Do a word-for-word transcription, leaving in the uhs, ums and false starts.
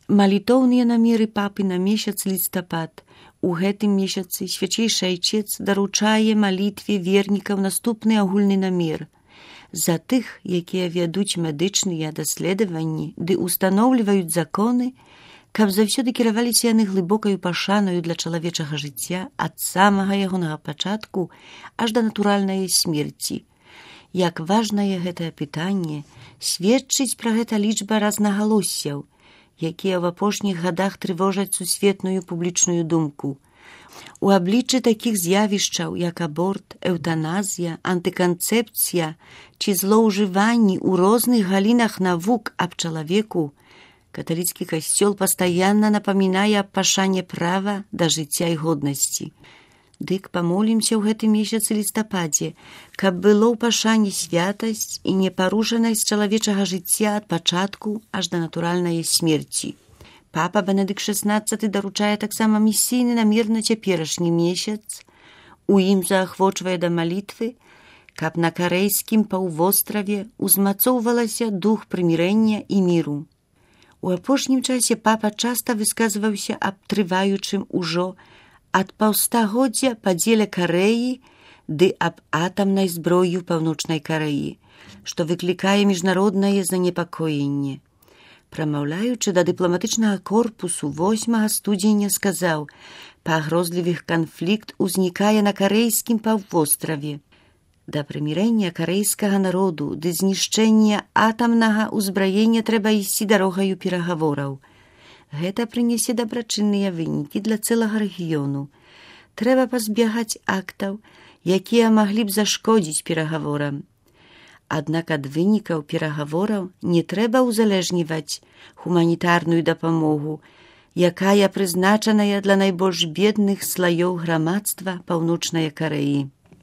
Малітоўныя намеры папы на месяц лістапад. У гэтым месяцы свячэйшы айчец даручае малітве вернікаў наступны агульны намер. За тых, якія вядуць медычныя даследаванні ды устаноўліваюць законы, каб заўсёды кіраваліся яны глыбокаю пашаною для чалавечага жыцця ад самага ягонага пачатку аж да натуральнай смерці. Як важнае гэтае пытанне, сведчыць пра гэта лічба рознагалоссяў, якія ў апошніх гадах трывожаць сусветную публічную думку. У абліччы такіх з'явішчаў, як аборт, эўтаназія, антыканцэпцыя ці злоўжыванні ў розных галінах навук аб чалавеку, каталіцкі касцёл пастаянна напамінае аб пашане права да жыцця і годнасці. Дык памолімся ў гэтым месяцы лістападзе, каб было ў пашане святасць і непарушанасць чалавечага жыцця ад пачатку аж да натуральнай смерці. Папа Бенедыкт шаснаццаты даручае таксама місійны намер на цяперашні месяц. У ім заахвочвае да малітвы, каб на карэйскім паўвостраве узмацоўвалася дух прымірэння і міру. У апошнім часе папа часта высказваўся аб трываючым ужо ад паўстагоддзя падзеле Карэі ды аб атамнай зброі ў паўночнай Карэі, што выклікае міжнароднае занепакоенне. Прамаўляючы да дыпламатычнага корпусу восьмага студзеня сказаў: «Пагрозлівых канфлікт узнікае на карэйскім паўвостраве. Да прымірэння карэйскага народу ды знішчэння атамнага ўзбраення трэба ісці дарогаю перагавораў. Гэта прынясе дабрачынныя вынікі для цэлага рэгіёну. Трэба пазбягаць актаў, якія маглі б зашкодзіць перагаворам. Аднак ад вынікаў перагавораў не трэба ўзалежніваць гуманітарную дапамогу, якая прызначаная для найбольш бедных слаёў грамадства паўночнай Карэі.